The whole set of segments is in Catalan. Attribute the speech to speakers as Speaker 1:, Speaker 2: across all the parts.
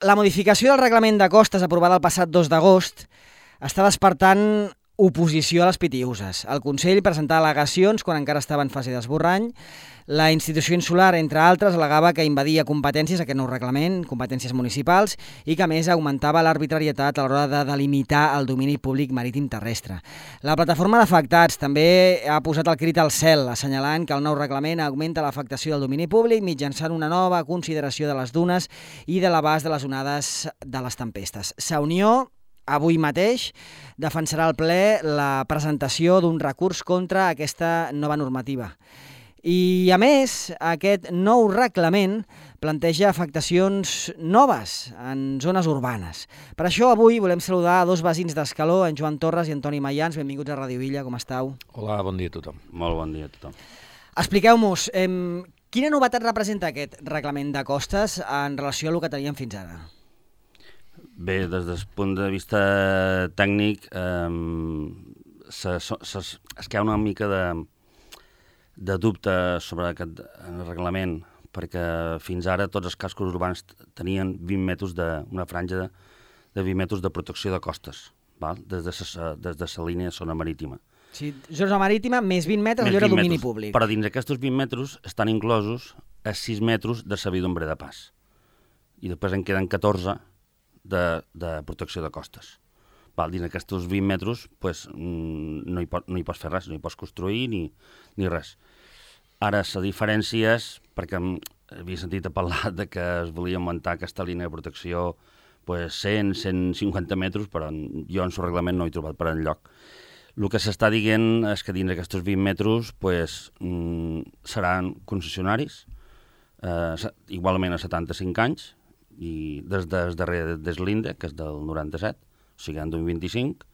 Speaker 1: La modificació del reglament de costes aprovada el passat 2 d'agost està despertant oposició a les pitiuses. El Consell presentava al·legacions quan encara estava en fase d'esborrany. La institució insular, entre altres, al·legava que invadia competències, aquest nou reglament, competències municipals, i que, a més, augmentava l'arbitrarietat a l'hora de delimitar el domini públic marítim terrestre. La plataforma d'afectats també ha posat el crit al cel, assenyalant que el nou reglament augmenta l'afectació del domini públic mitjançant una nova consideració de les dunes i de l'abast de les onades de les tempestes. Sa Unió, avui mateix, defensarà al ple la presentació d'un recurs contra aquesta nova normativa. I, a més, aquest nou reglament planteja afectacions noves en zones urbanes. Per això, avui volem saludar a dos veïns d'Escaló, en Joan Torres i Antoni Mayans. Benvinguts a Ràdio Illa, com estàu?
Speaker 2: Hola, bon dia a tothom.
Speaker 3: Molt bon dia a tothom.
Speaker 1: Expliqueu-nos, quina novetat representa aquest reglament de costes en relació a el que teníem fins ara?
Speaker 3: Bé, des del punt de vista tècnic, es queda una mica de dubte sobre aquest reglament, perquè fins ara tots els cascos urbans tenien 20 metres una franja de 20 metres de protecció de costes, val? Des de la línia de zona marítima.
Speaker 1: Sí, zona marítima més 20 metres, allò era domini públic.
Speaker 3: Però dins d'aquests 20 metres estan inclosos els 6 metres de servidumbre de pas. I després en queden 14 de protecció de costes. Val, dins d'aquests 20 metres pues, no hi pots fer res, no hi pots construir ni res. Ara, la diferència és, perquè havia sentit a parlar de que es volia augmentar aquesta línia de protecció pues, 100-150 metres, però jo en el reglament no he trobat per enlloc. El que s'està dient és que dins d'aquests 20 metres pues, seran concessionaris, igualment a 75 anys, i des del darrer deslinde, que és del 97, o sigui, en d'un 25,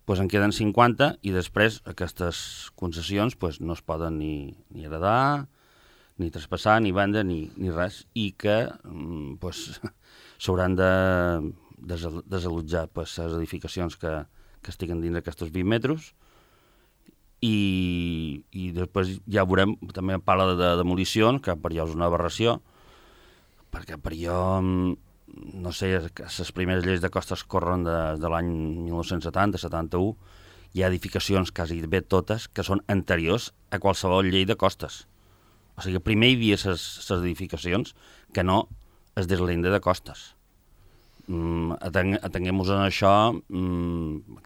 Speaker 3: doncs en queden 50 i després aquestes concessions doncs, no es poden ni heredar, ni traspassar, ni vendre, ni res, i que s'hauran de desallotjar les edificacions que estiguen dins d'aquests 20 metres i després ja veurem, també parla de demolicions, que per jo és una aberració, perquè per jo, no sé, les primeres lleis de costes corren de l'any 1970-71, hi ha edificacions quasi bé totes que són anteriors a qualsevol llei de costes. O sigui, primer hi havia les edificacions que no es deslinde de costes. Atenguem-nos en això,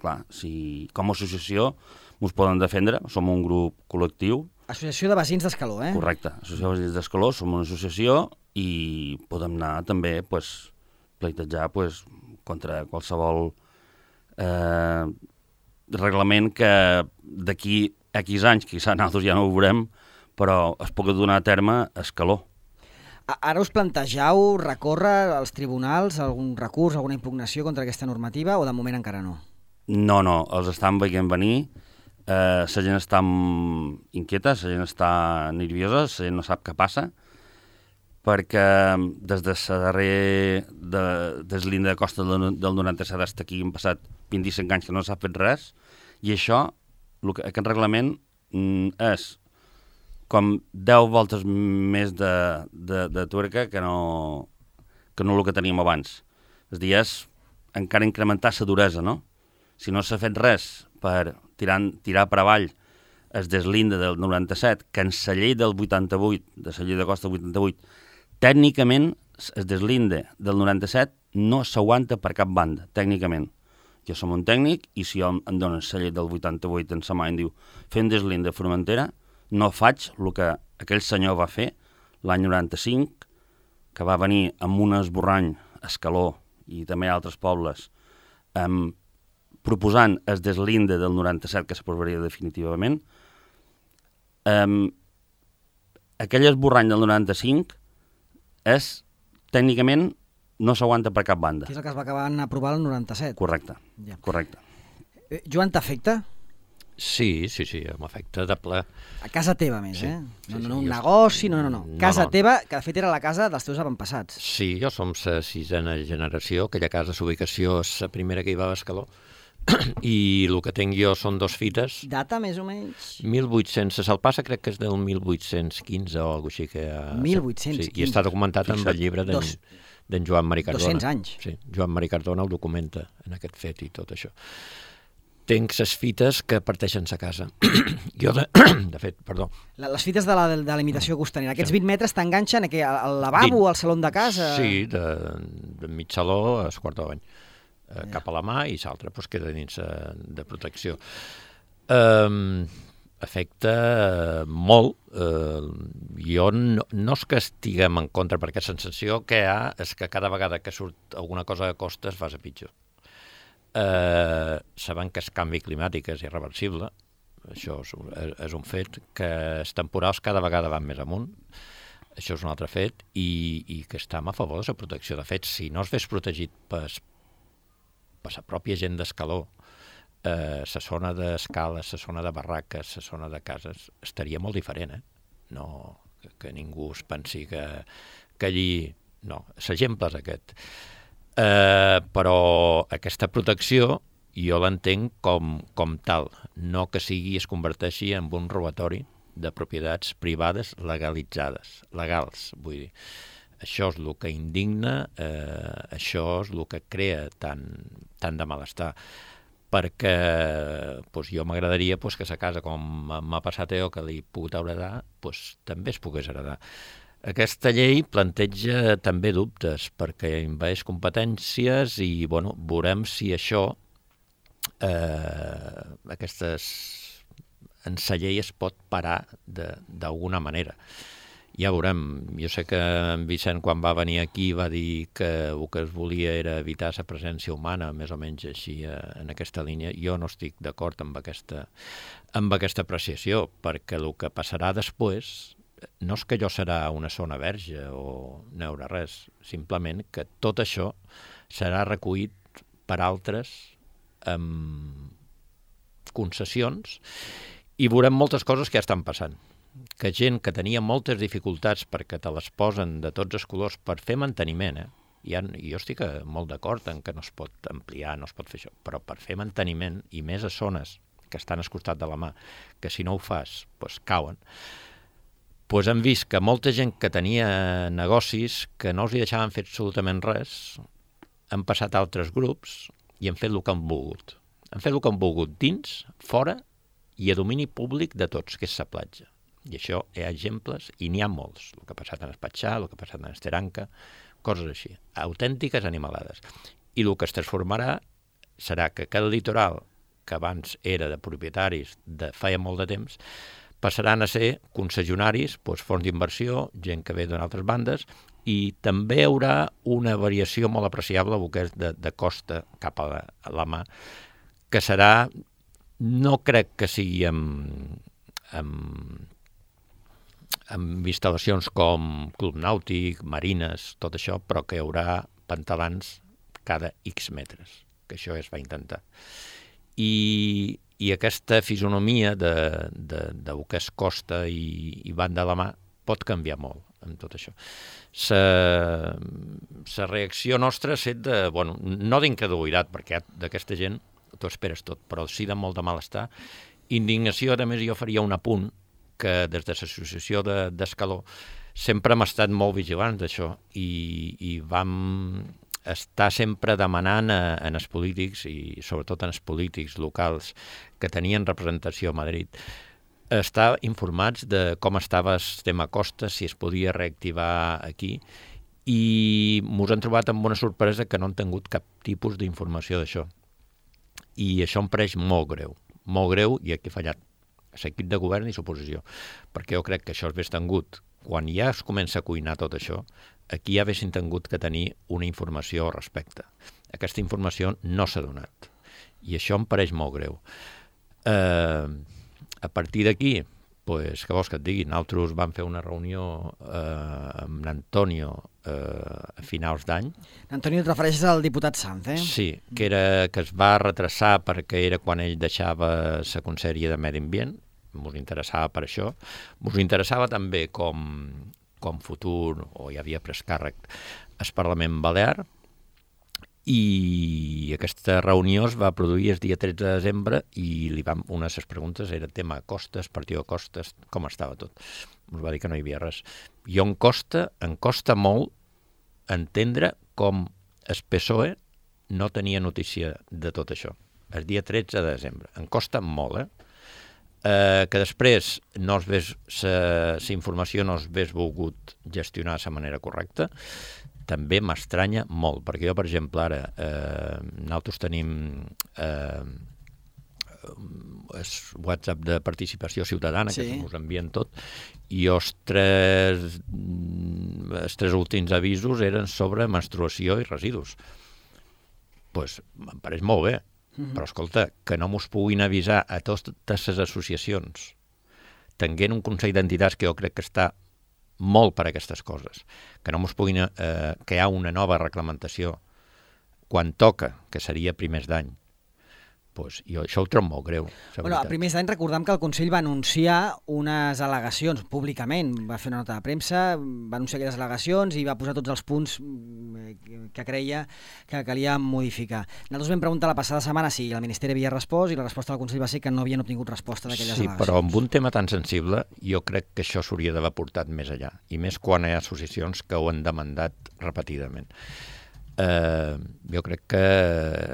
Speaker 3: clar, si com a associació ens poden defendre, som un grup col·lectiu.
Speaker 1: Associació de Veïns d'Escaló, eh?
Speaker 3: Correcte, Associació de Veïns d'Escaló, som una associació i podem anar també pleitejar contra qualsevol reglament que d'aquí a X anys, quizà nosaltres ja no ho veurem, però es pugui donar a terme a Escaló.
Speaker 1: Ara us plantegeu recórrer als tribunals algun recurs, alguna impugnació contra aquesta normativa o de moment encara no?
Speaker 3: No, els estan veient venir, la gent està inquieta, la gent està nerviosa, la gent no sap què passa, perquè des de la darrera deslinde de costa del 97 fins aquí han passat 25 anys que no s'ha fet res, i això, aquest reglament és com 10 voltes més de tuerca que no el que teníem abans. És a dir, és encara incrementar la duresa, no? Si no s'ha fet res per tirar per avall el deslinde del 97, que en la llei del 88, de la llei de costa del 88, tècnicament el deslinde del 97 no s'aguanta per cap banda, tècnicament. Jo som un tècnic i si jo em donen la llei del 88 en sa mà i em diu fer un deslinde a Formentera, no faig el que aquell senyor va fer l'any 95, que va venir amb un esborrany a Escaló i també a altres pobles, proposant el deslinde del 97 que s'aprovaria definitivament. Aquell esborrany del 95 tècnicament no s'aguanta per cap banda.
Speaker 1: Que és el que es va acabar d'aprovar el 97.
Speaker 3: Correcte, ja. Correcte.
Speaker 1: Joan, t'afecta?
Speaker 2: Sí, m'afecta de ple.
Speaker 1: A casa teva, més,
Speaker 2: sí,
Speaker 1: eh? No, un negoci, no. Casa teva, que de fet era la casa dels teus avantpassats.
Speaker 2: Sí, jo som la 6a generació, aquella casa, l'ubicació és la primera que hi va a Escaló, i el que tinc jo són 2 fites.
Speaker 1: Data, més o menys?
Speaker 2: 1800, se'l passa crec que és del 1815 o alguna així que...
Speaker 1: 1815?
Speaker 2: Sí, i està documentat en el llibre d'en Joan Marí Cardona.
Speaker 1: 200 anys.
Speaker 2: Sí, Joan Marí Cardona el documenta en aquest fet i tot això. Tenc ses fites que parteixen sa casa. Jo, de fet, perdó.
Speaker 1: Les fites de la imitació costanera. Aquests 20 metres t'enganxen al lavabo, al saló de casa?
Speaker 2: Sí, de mig saló a quart de bany. Cap a la mà i l'altre pues, queda dins de protecció. Afecta molt. Jo no és que estiguem en contra, perquè la sensació que hi ha és que cada vegada que surt alguna cosa a costes vas a pitjor. Sabem que el canvi climàtic és irreversible, això és un fet, que els temporals cada vegada van més amunt, això és un altre fet, i que estem a favor de la protecció. De fet, si no es fes protegit per la pròpia gent d'Escaló, la zona d'escales, la zona de barraques, la zona de cases, estaria molt diferent, No, que ningú es pensi que allí... No, l'exemple és aquest. Però aquesta protecció jo l'entenc com tal, no que es converteixi en un robatori de propietats privades legalitzades, legals, vull dir. Això és el que indigna, això és el que crea tant de malestar, perquè jo m'agradaria que la casa, com m'ha passat jo, que li puc heredar, també es pogués heredar. Aquesta llei planteja també dubtes perquè envaeix competències i veurem si això, en la llei es pot parar d'alguna manera. Ja veurem. Jo sé que en Vicent, quan va venir aquí, va dir que el que es volia era evitar la presència humana, més o menys així, en aquesta línia. Jo no estic d'acord amb aquesta apreciació, perquè el que passarà després no és que allò serà una zona verge o no hi haurà res, simplement que tot això serà recollit per altres concessions i veurem moltes coses que ja estan passant. Que gent que tenia moltes dificultats perquè te les posen de tots els colors per fer manteniment, jo estic molt d'acord en que no es pot ampliar, no es pot fer això, però per fer manteniment i més a zones que estan al costat de la mà, que si no ho fas, cauen, hem vist que molta gent que tenia negocis que no els deixaven fer absolutament res, han passat a altres grups i han fet el que han volgut. Han fet el que han volgut dins, fora i a domini públic de tots, que és la platja. I això hi ha exemples, i n'hi ha molts. El que ha passat en Espatxà, el que ha passat en Esteranca, coses així, autèntiques animalades. I el que es transformarà serà que aquest litoral, que abans era de propietaris de feia molt de temps, passaran a ser concessionaris, fons d'inversió, gent que ve d'altres bandes, i també hi haurà una variació molt apreciable el que és de costa cap a la mà, que serà, no crec que sigui amb instal·lacions com club nàutic, marines, tot això, però que hi haurà pantalans cada X metres, que això es va intentar. I aquesta fisonomia del que es costa i van de la mà pot canviar molt amb tot això. La reacció nostra ha estat no d'incredulitat, perquè d'aquesta gent t'ho esperes tot, però sí de molt de malestar. Indignació, a més, jo faria un apunt que des de l'associació d'Escaló sempre hem estat molt vigilants d'això i vam estar sempre demanant en els polítics, i sobretot en els polítics locals que tenien representació a Madrid, estar informats de com estava el tema Costa, si es podia reactivar aquí, i ens hem trobat amb una sorpresa que no han tingut cap tipus d'informació d'això. I això em pareix molt greu, i aquí ha fallat l'equip de govern i l'oposició, perquè jo crec que això hauria tingut, quan ja es comença a cuinar tot això, aquí ja haguessin tingut que tenir una informació al respecte. Aquesta informació no s'ha donat, i això em pareix molt greu. A partir d'aquí, què vols que et digui? Nosaltres vam fer una reunió amb l'Antonio a finals d'any.
Speaker 1: L'Antonio, et refereixes al diputat Sanz,
Speaker 2: Sí, que es va retrasar perquè era quan ell deixava la Conselleria de Medi Ambient, ens interessava per això. Ens interessava també com futur, o hi havia pres càrrec, al Parlament Balear, i aquesta reunió es va produir el dia 13 de desembre i una de les preguntes era tema costes, partió de costes, com estava tot. Ens va dir que no hi havia res. Jo em costa molt entendre com el PSOE no tenia notícia de tot això. El dia 13 de desembre. Em costa molt, que després no es ves, la informació no es ves volgut gestionar de la manera correcta, també m'estranya molt, perquè jo, per exemple, ara nosaltres tenim el WhatsApp de participació ciutadana, que us envien tot, i els tres últims avisos eren sobre menstruació i residus. Doncs em pareix molt bé, però escolta, que no mos puguin avisar a totes les associacions, tenint un Consell d'Entitats que jo crec que està molt per a aquestes coses, que no mos puguin crear una nova reglamentació quan toca, que seria primers d'any, doncs jo això ho trobo molt greu.
Speaker 1: A primers d'any recordem que el Consell va anunciar unes al·legacions públicament, va fer una nota de premsa, va anunciar aquelles al·legacions i va posar tots els punts que creia que calia modificar. Nosaltres vam preguntar la passada setmana si el Ministeri havia respost i la resposta del Consell va ser que no havien obtingut resposta d'aquelles al·legacions.
Speaker 2: Sí, però amb un tema tan sensible jo crec que això s'hauria d'haver portat més allà, i més quan hi ha associacions que ho han demandat repetidament. Jo crec que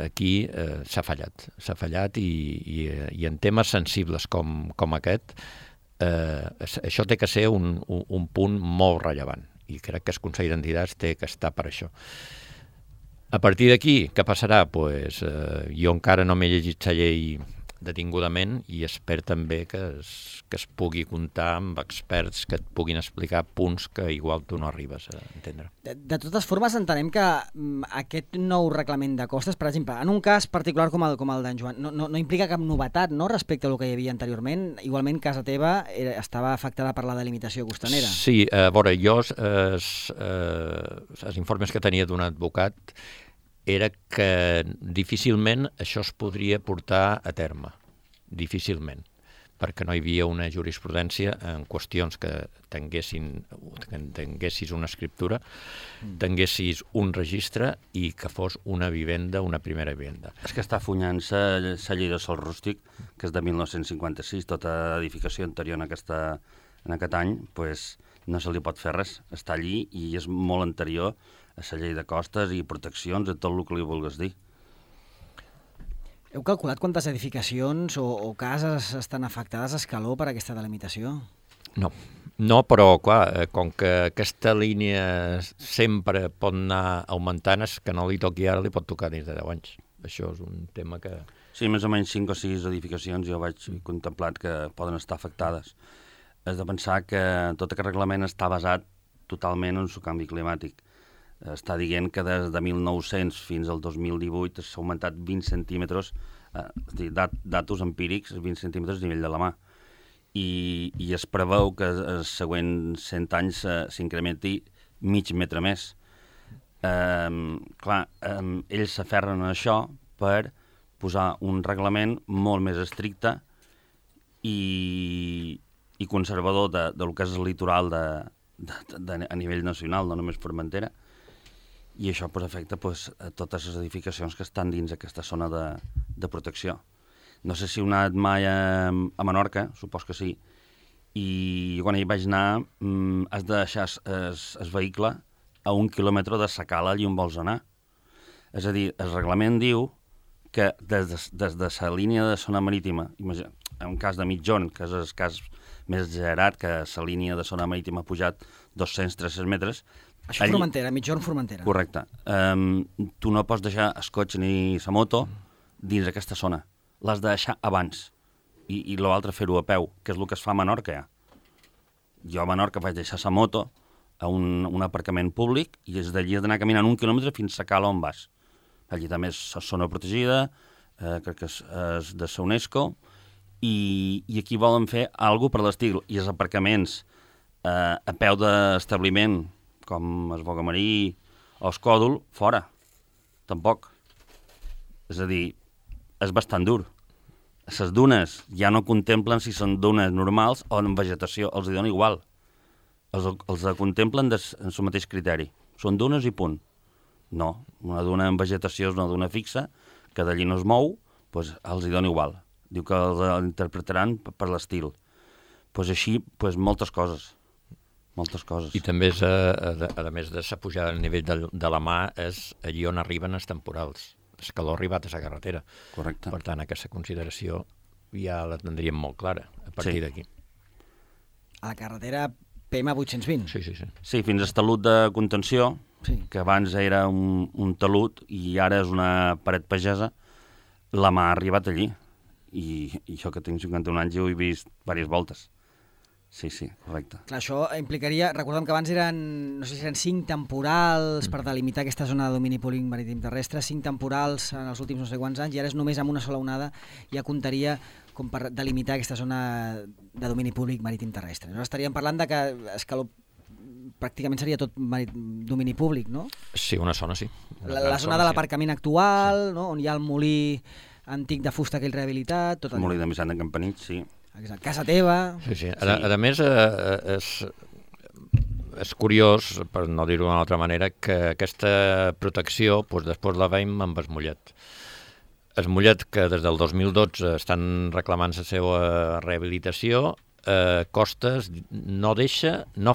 Speaker 2: aquí s'ha fallat i en temes sensibles com aquest això té que ser un punt molt rellevant i crec que el Consell d'Entitats té que estar per això. A partir d'aquí, què passarà? Jo encara no m'he llegit la llei detingudament i espero també que es pugui comptar amb experts que et puguin explicar punts que igual tu no arribes a entendre.
Speaker 1: De totes formes, entenem que aquest nou reglament de costes, per exemple, en un cas particular com el d'en Joan, no implica cap novetat, no?, respecte al que hi havia anteriorment. Igualment, casa teva estava afectada per la delimitació costanera.
Speaker 2: Sí, a veure, jo els informes que tenia d'un advocat era que difícilment això es podria portar a terme, difícilment, perquè no hi havia una jurisprudència en qüestions que tinguessis una escriptura, tinguessis un registre i que fos una vivenda, una primera vivenda.
Speaker 3: És que està funyant-se la llei de sòl rústic, que és de 1956, tota edificació anterior en aquest any, no se li pot fer res, està allí i és molt anterior a la llei de costes i proteccions, a tot el que li vulguis dir.
Speaker 1: Heu calculat quantes edificacions o cases estan afectades a escaló per aquesta delimitació?
Speaker 2: No, però clar, com que aquesta línia sempre pot anar augmentant, és que no li toqui ara, li pot tocar dins de 10 anys. Això és un tema que...
Speaker 3: Sí, més o menys 5 o 6 edificacions jo vaig contemplat que poden estar afectades. Has de pensar que tot aquest reglament està basat totalment en el canvi climàtic. Està dient que des de 1900 fins al 2018 s'ha augmentat 20 centímetres, datos empírics, 20 centímetres a nivell de la mà. I es preveu que els següents 100 anys s'incrementi mig metre més. Ells s'aferren a això per posar un reglament molt més estricte i conservador del que és el litoral a nivell nacional, no només Formentera, i això afecta a totes les edificacions que estan dins aquesta zona de protecció. No sé si heu anat mai a Menorca, supos que sí, i quan hi vaig anar has de deixar el vehicle a 1 quilòmetre de la cala allà on vols anar. És a dir, el reglament diu que des de la línia de zona marítima, en un cas de mitjon, que és el cas més exagerat, que la línia de zona marítima ha pujat 200-300 metres...
Speaker 1: Això és Formentera, mitjon Formentera.
Speaker 3: Correcte. Tu no pots deixar el cotxe ni la moto dins d'aquesta zona. L'has de deixar abans. I l'altre fer-ho a peu, que és el que es fa a Menorca. Jo a Menorca vaig deixar la moto a un aparcament públic i des d'allí has d'anar caminant 1 quilòmetre fins a cala on vas. Allí també és zona protegida, crec que és de la UNESCO, i aquí volen fer alguna cosa per l'estil. I els aparcaments a peu d'establiment, com el Bogamarí o el Còdol, fora. Tampoc. És a dir, és bastant dur. Les dunes ja no contemplen si són dunes normals o en vegetació, els hi dona igual. Els contemplen en el mateix criteri. Són dunes i punt. No, una duna en vegetació és una duna fixa, que d'allí no es mou, doncs els hi dona igual. Diu que els interpretaran per l'estil. Doncs així, moltes coses. moltes coses.
Speaker 2: I també, a més de la pujada del nivell de la mà, és allí on arriben els temporals. L'escaló ha arribat a la carretera.
Speaker 3: Correcte.
Speaker 2: Per tant, aquesta consideració ja la tindríem molt clara a partir d'aquí.
Speaker 1: A la carretera PM 820.
Speaker 2: Sí.
Speaker 3: Sí, fins al talud de contenció, que abans era un talud i ara és una paret pagesa, la mà ha arribat allí. I això que tinc 51 anys ho he vist diverses voltes. Sí, correcte.
Speaker 1: Clar, això implicaria... Recordem que abans eren, no sé si eren 5 temporals per delimitar aquesta zona de domini públic marítim terrestre, 5 temporals en els últims no sé quants anys, i ara és només amb una sola onada ja comptaria com per delimitar aquesta zona de domini públic marítim terrestre. Nosaltres estaríem parlant de que Escaló pràcticament seria tot domini públic, no?
Speaker 2: Sí, una zona sí.
Speaker 1: La zona de l'aparcament actual, no? On hi ha el molí antic de fusta aquell rehabilitat... Tot
Speaker 3: el molí de Missant de Campanit, sí.
Speaker 1: Exacte. Casa teva...
Speaker 2: Sí. A més, és curiós, per no dir-ho d'una altra manera, que aquesta protecció després la veiem amb el Mollet. El Mollet, que des del 2012 estan reclamant la seva rehabilitació, Costes no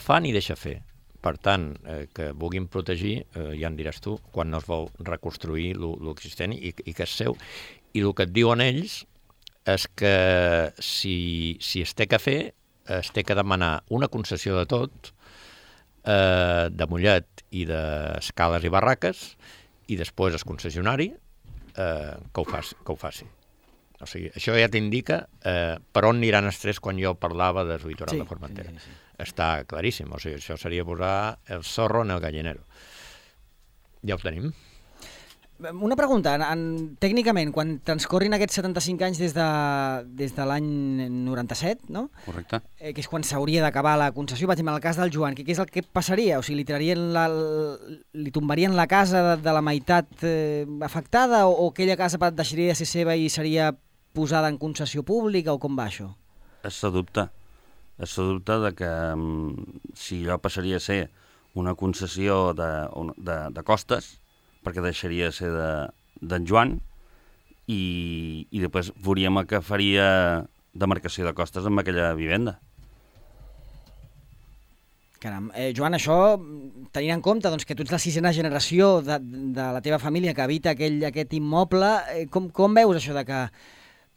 Speaker 2: fa ni deixa fer. Per tant, que vulguin protegir, ja en diràs tu, quan no es vol reconstruir l'existent i que és seu. I el que et diuen ells és que si es té que fer, es té que demanar una concessió de tot, de Mollet i d'escales i barraques, i després el concessionari que ho faci. O sigui, això ja t'indica per on aniran els tres quan jo parlava de Litoral de Formentera. Sí. Està claríssim, o sigui, això seria posar el zorro en el gallinero. Ja ho tenim.
Speaker 1: Una pregunta, tècnicament, quan transcorrin aquests 75 anys des de l'any 97, no?
Speaker 3: Correcte.
Speaker 1: Que és quan s'hauria d'acabar la concessió, per exemple, en el cas del Joan, què és el que passaria? O sigui, li tombarien la casa de la meitat afectada o aquella casa deixaria de ser seva i seria posada en concessió pública o com va això?
Speaker 3: És el dubte de que si allò passaria a ser una concessió de Costes, perquè deixaria de ser d'en Joan, i després veuríem el que faria demarcació de Costes amb aquella vivenda.
Speaker 1: Caram, Joan, això, tenint en compte que tu ets la 6a generació de la teva família que habita aquest immoble, com veus això de que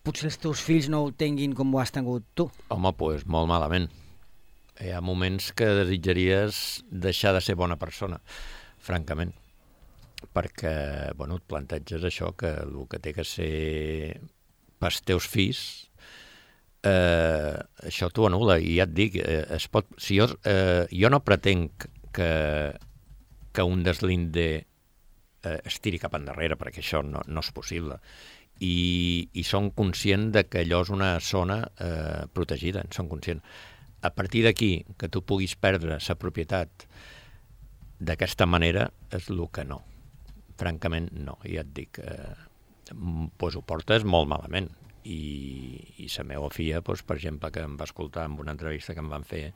Speaker 1: potser els teus fills no ho tinguin com ho has tingut tu?
Speaker 2: Home, doncs molt malament. Hi ha moments que desitjaries deixar de ser bona persona, francament. Perquè, et planteges això, que el que té que ser pels teus fills, això t'ho anul·la. I ja et dic, si jo no pretenc que un deslinde es tiri cap endarrere, perquè això no és possible. I som conscients de que allò és una zona protegida, en som conscients. A partir d'aquí, que tu puguis perdre la propietat d'aquesta manera, és el que no. Francament, no. Ja et dic, ho portes molt malament. I la meva filla, per exemple, que em va escoltar en una entrevista que em van fer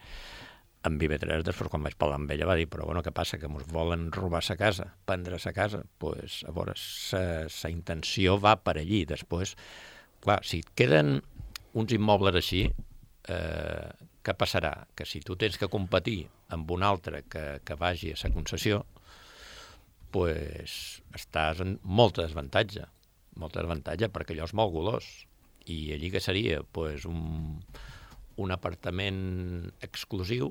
Speaker 2: amb IB3, després quan vaig parlar amb ella va dir, però què passa, que ens volen robar sa casa, prendre sa casa? Doncs, a veure, sa intenció va per allí. Després, clar, si et queden uns immobles així, què passarà? Que si tu tens que competir amb un altre que vagi a sa concessió, doncs estàs en molta desavantatge, perquè allò és molt golós. I allí que seria? Doncs un apartament exclusiu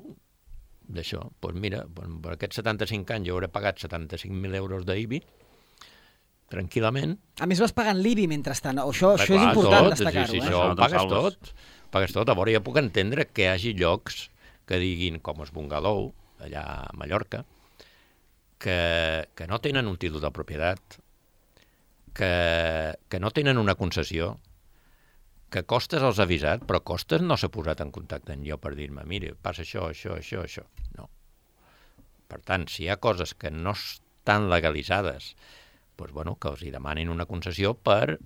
Speaker 2: d'això. Doncs mira, per aquests 75 anys jo hauré pagat 75.000 euros d'IBI, tranquil·lament.
Speaker 1: A més vas pagant l'IBI mentrestant, això és important destacar-ho.
Speaker 2: Sí, això ho pagues tot. A veure, jo puc entendre que hi hagi llocs que diguin, com el Bungalou, allà a Mallorca, que no tenen un títol de propietat, que no tenen una concessió, que Costes els ha avisat, però Costes no s'ha posat en contacte amb jo per dir-me, mira, passa això. No. Per tant, si hi ha coses que no estan legalitzades, doncs, que els hi demanin una concessió per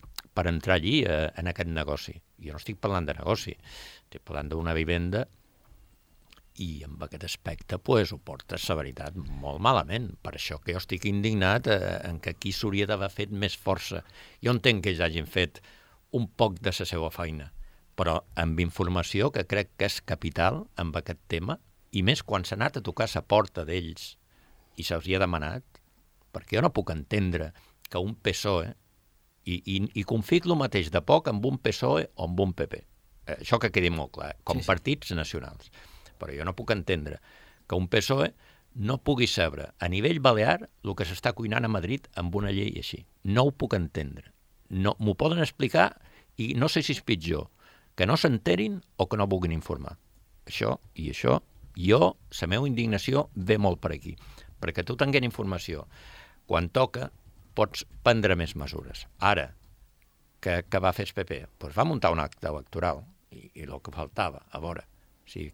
Speaker 2: entrar allí en aquest negoci. Jo no estic parlant de negoci, estic parlant d'una vivenda i amb aquest aspecte ho portes, la veritat, molt malament. Per això que jo estic indignat en que aquí s'hauria d'haver fet més força. Jo entenc que ells hagin fet un poc de la seva feina, però amb informació que crec que és capital amb aquest tema, i més quan s'ha anat a tocar la porta d'ells i se'ls hi ha demanat, perquè jo no puc entendre que un PSOE, i confic el mateix de poc amb un PSOE o amb un PP, això que quedi molt clar, com partits nacionals, però jo no puc entendre que un PSOE no pugui saber a nivell balear el que s'està cuinant a Madrid amb una llei així. No ho puc entendre. No, m'ho poden explicar i no sé si és pitjor que no s'enterin o que no vulguin informar. Això, jo, la meva indignació ve molt per aquí. Perquè tu tenint informació, quan toca, pots prendre més mesures. Ara, que va fer el PP? Doncs va muntar un acte electoral i el que faltava, a veure, si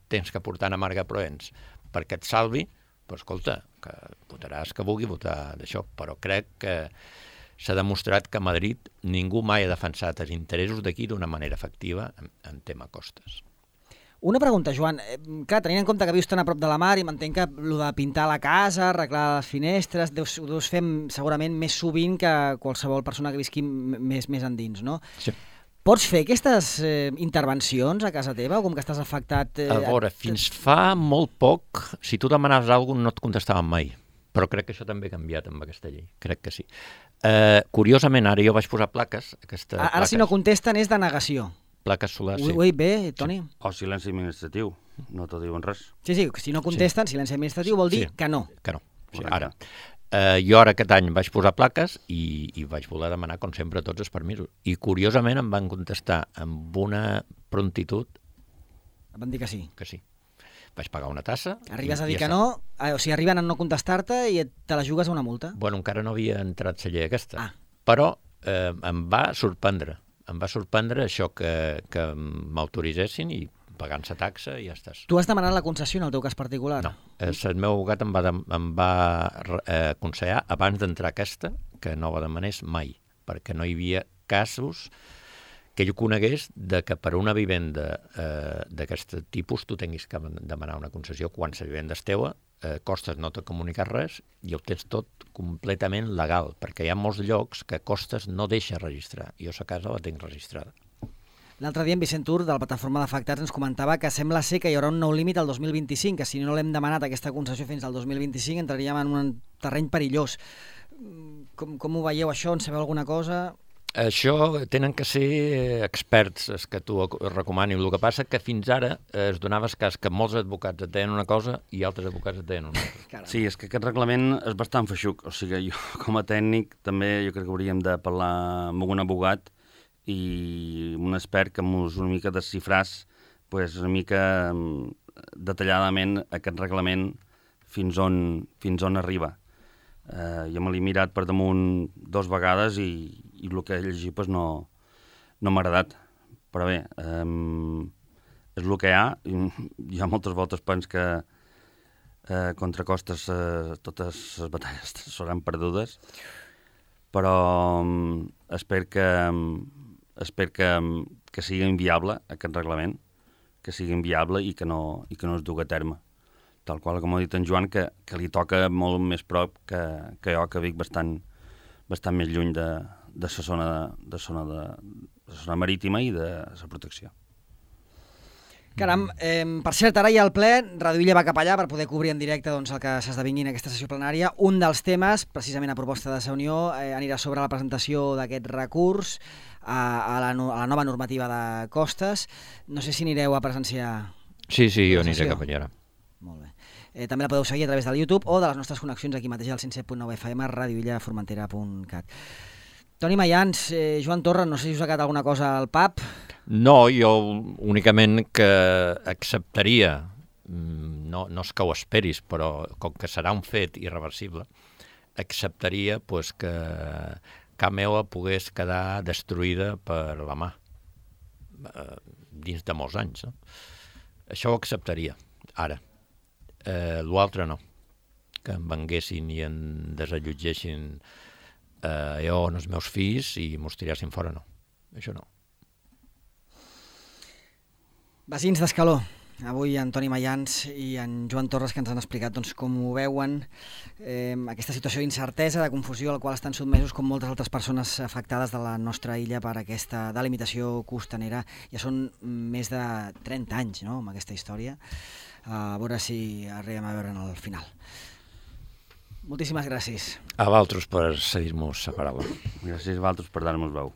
Speaker 2: tens que portar a Marga Proens perquè et salvi, però escolta, que votaràs que vulgui votar d'això, però crec que s'ha demostrat que a Madrid ningú mai ha defensat els interessos d'aquí d'una manera efectiva en tema costes.
Speaker 1: Una pregunta, Joan. Clar, tenint en compte que vius tan a prop de la mar i m'entenc que el de pintar la casa, arreglar les finestres, ho deus fer segurament més sovint que qualsevol persona que visqui més endins, no?
Speaker 2: Sí.
Speaker 1: Pots fer aquestes intervencions a casa teva o com que estàs afectat?
Speaker 2: A veure, fins fa molt poc, si tu demanaves alguna cosa no et contestaven mai, però crec que això també ha canviat amb aquesta llei, crec que sí. Curiosament, ara jo vaig posar plaques.
Speaker 1: Ara si no contesten és de negació.
Speaker 2: Plaques solars, sí.
Speaker 1: Ho he dit bé, Toni?
Speaker 3: Sí. O silenci administratiu, no t'ho diuen res.
Speaker 1: Sí, si no contesten, silenci administratiu vol dir que no.
Speaker 2: Que no, sí, ara. Jo ara aquest any vaig posar plaques i vaig voler demanar, com sempre, tots els permisos. I curiosament em van contestar amb una prontitud...
Speaker 1: Van dir que sí.
Speaker 2: Que sí. Vaig pagar una tassa...
Speaker 1: Arribes a dir que no, o sigui, arriben a no contestar-te i te la jugues a una multa.
Speaker 2: Bueno, encara no havia entrat la llei aquesta, però em va sorprendre. Em va sorprendre això que m'autoritzessin i pagant la taxa i ja estàs.
Speaker 1: Tu has demanat la concessió en el teu cas particular?
Speaker 2: No, el meu abogat em va aconsellar abans d'entrar aquesta que no la demanés mai, perquè no hi havia casos que jo conegués de que per una vivenda d'aquest tipus tu tinguis que demanar una concessió quan la vivenda és teua, Costes no t'ha comunicat res i ho tens tot completament legal, perquè hi ha molts llocs que Costes no deixa registrar. Jo a casa la tinc registrada.
Speaker 1: L'altre dia en Vicent Tur, de la plataforma d'afectats, ens comentava que sembla ser que hi haurà un nou límit al 2025, que si no l'hem demanat aquesta concessió fins al 2025 entraríem en un terreny perillós. Com ho veieu això? En sabeu alguna cosa?
Speaker 2: Això tenen que ser experts, els que tu recomanis. El que passa que fins ara es donava el cas que molts advocats et deien una cosa i altres advocats et deien una altra.
Speaker 3: Sí, és que aquest reglament és bastant feixuc. O sigui, jo com a tècnic també jo crec que hauríem de parlar amb un abogat i un expert que mos una mica desxifràs una mica detalladament aquest reglament fins on arriba. Jo me l'he mirat per damunt 2 vegades i el que he llegit no m'ha agradat. Però bé, és el que hi ha. Hi ha moltes voltes penso que contra Costes totes les batalles seran perdudes, però espero que sigui inviable aquest reglament, que sigui inviable i que no es dugui a terme. Tal qual com ha dit en Joan, que li toca molt més prop que jo, que vic bastant més lluny de la zona marítima i de la protecció.
Speaker 1: Caram, per cert, ara hi ha el ple, Radio Illa va cap allà per poder cobrir en directe el que s'esdevingui en aquesta sessió plenària. Un dels temes, precisament a proposta de la Unió, anirà sobre la presentació d'aquest recurs a la nova normativa de Costes. No sé si anireu a presenciar...
Speaker 2: Sí, jo aniré cap allà.
Speaker 1: Molt bé. També la podeu seguir a través del YouTube o de les nostres connexions aquí mateix al 107.9 FM, radioillaformentera.cat. Toni Mayans, Joan Torra, no sé si us ha quedat alguna cosa al pap.
Speaker 2: No, jo únicament que acceptaria, no és que ho esperis, però com que serà un fet irreversible, acceptaria que cap meva pogués quedar destruïda per la mà dins de molts anys. No? Això ho acceptaria, ara. L'altre no, que em venguessin i em desallotgessin jo o els meus fills i mos tirassin fora, no. Això no.
Speaker 1: Vecins d'Escaló, avui en Toni Mayans i en Joan Torres, que ens han explicat com ho veuen, aquesta situació d'incertesa, de confusió a la qual estan sotmesos com moltes altres persones afectades de la nostra illa per aquesta delimitació costanera. Ja són més de 30 anys, no?, amb aquesta història. A veure si arribem a veure en el final. Moltíssimes gràcies.
Speaker 2: A vosaltres per cedir-nos la paraula.
Speaker 3: Gràcies a vosaltres per dar-nos veu.